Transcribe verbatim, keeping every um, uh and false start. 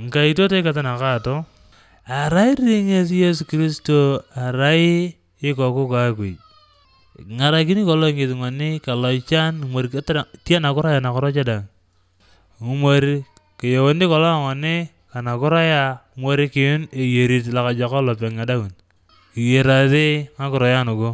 Nkaitotoi kata nakaato, arai ri ŋes Yesu Kristo arai ikoku ka Akuj. Kiŋarakini kolong ŋes ŋoni ka loican ŋumor tianakuro aya nakuro cedang. Ŋumor kiyeuni kolong ŋoni ka nakuro aya ŋumor kiyun eyerit lokajokon lopeŋ edaun. Kiyerasi ŋakuro ya nugu.